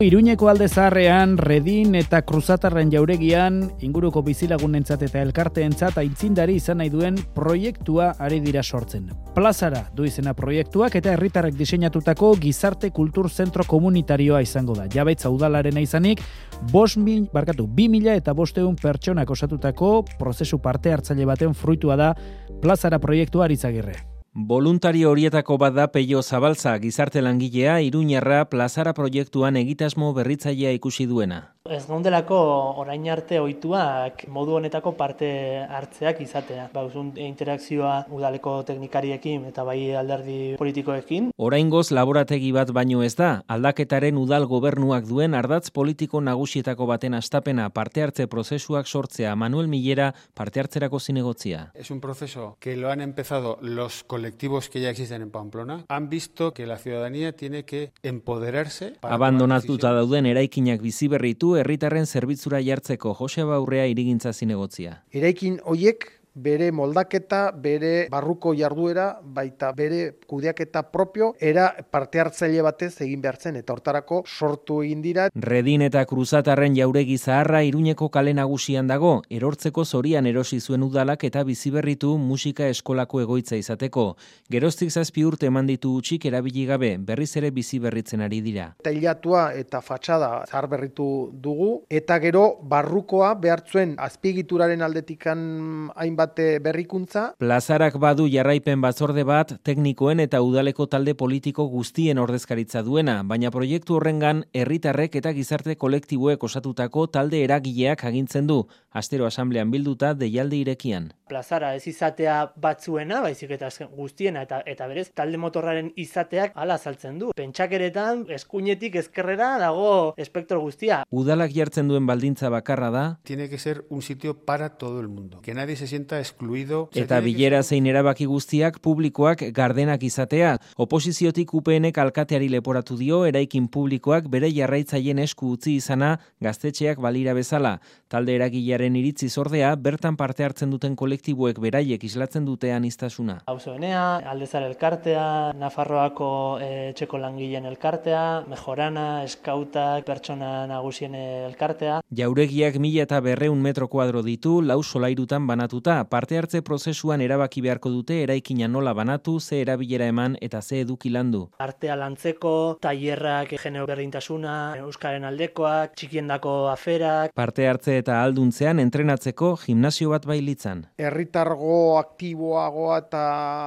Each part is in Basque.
Iruñeko alde zaharrean, Redin eta Kruzatarren jauregian, inguruko bizilagunentzat eta elkarteentzat aitzindari izan nahi duen proiektua ari dira sortzen. Plazara du izena proiektuak eta herritarrek diseinatutako gizarte kultur zentro komunitarioa izango da. Jabetza udalarena izanik, 2.500 pertsonak osatutako prozesu parte hartzaile baten fruitua da Plazara proiektua Arizagirre. Boluntario horietako bat da Peio Zabalza, gizarte langilea, iruñarra Plazara proiektuan egitasmo berritzailea ikusi duena. Ez gaundelako orain arte ohituak modu honetako parte hartzeak izatea. Bauzun interakzioa udaleko teknikariekin eta bai alderdi politikoekin. Oraingoz laborategi bat baino ez da, aldaketaren udal gobernuak duen ardatz politiko nagusietako baten hastapena parte hartze prozesuak sortzea. Manuel Millera parte hartzerako zinegotzia. Es un proceso que lo han empezado los colectivos que ya existen en Pamplona. Han visto que la ciudadanía tiene que empoderarse. Abandonatuta dauden eraikinak biziberritu herritarren zerbitzura jartzeko Jose Baurrea irigintza zinegotzia. Eraikin hoiek bere moldaketa, bere barruko jarduera, baita bere kudeaketa propio, era parte hartzaile batez egin behartzen, eta hortarako sortu egin dira. Redin eta Kruzatarren jauregi zaharra Iruñeko kale nagusian dago, erortzeko zorian erosi zuen udalak eta biziberritu musika eskolako egoitza izateko. Geroztik 7 urte eman ditu utzik erabili gabe, berriz ere biziberritzen ari dira. Tailatua eta fatxada zahar berritu dugu, eta gero barrukoa behartzuen azpiegituraren aldetikan hainbat berrikuntza. Plazarak badu jarraipen batzorde bat teknikoen eta udaleko talde politiko guztien ordezkaritza duena, baina proiektu horrengan herritarrek eta gizarte kolektiboek osatutako talde eragileak agintzen du, astero asamblean bilduta deialdi irekian. Plazara ez izatea batzuena, baizik eta guztiena eta berez talde motorraren izateak hala azaltzen du. Pentsakeretan eskuinetik ezkerrera dago espektro guztia. Udalak jartzen duen baldintza bakarra da. Tiene que ser un sitio para todo el mundo. Que nadie se sienta excluido. Eta bilera zein erabaki guztiak publikoak gardenak izatea. Oposiziotik UPNek alkateari leporatu dio eraikin publikoak bere jarraitzaileen esku utzi izana gaztetxeak balira bezala. Talde eragilearen iritziz ordea bertan parte hartzen duten kolektiboek beraiek islatzen dute aniztasuna. Auzoenea, Aldezar elkartea, Nafarroako etxeko langileen elkartea, Mejorana, Eskautak, pertsona nagusien elkartea. Jauregiak 1200 metro kuadro ditu, 4 solairutan banatuta. Parte hartze prozesuan erabaki beharko dute eraikina nola banatu, ze erabilera eman eta ze eduki landu. Artea lantzeko, tailerrak, genero berdintasuna, euskaren aldekoak, txikiendako aferak. Parte hartze eta alduntzean entrenatzeko gimnasio bat bailitzan. Herritargo aktiboagoa eta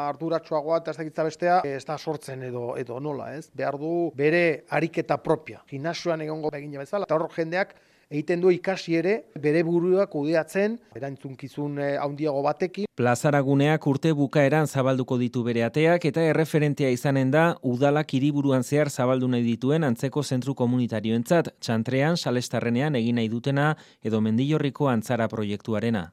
arduratsuagoa eta ez dakitza bestea ez da sortzen edo nola, ez? Behar du bere ariketa propia. Gimnasioan egongo begina bezala, eta hor jendeak egiten du ikasi ere bere burua kudeatzen, erantzunkizun handiago batekin. Plazaraguneak urte bukaeran zabalduko ditu bere ateak eta erreferentea izanen da udalak hiriburuan zehar zabaldu nahi dituen antzeko zentru komunitarioentzat, Txantrean, Salestarrenean egin nahi dutena edo Mendillorriko Antzara proiektuarena.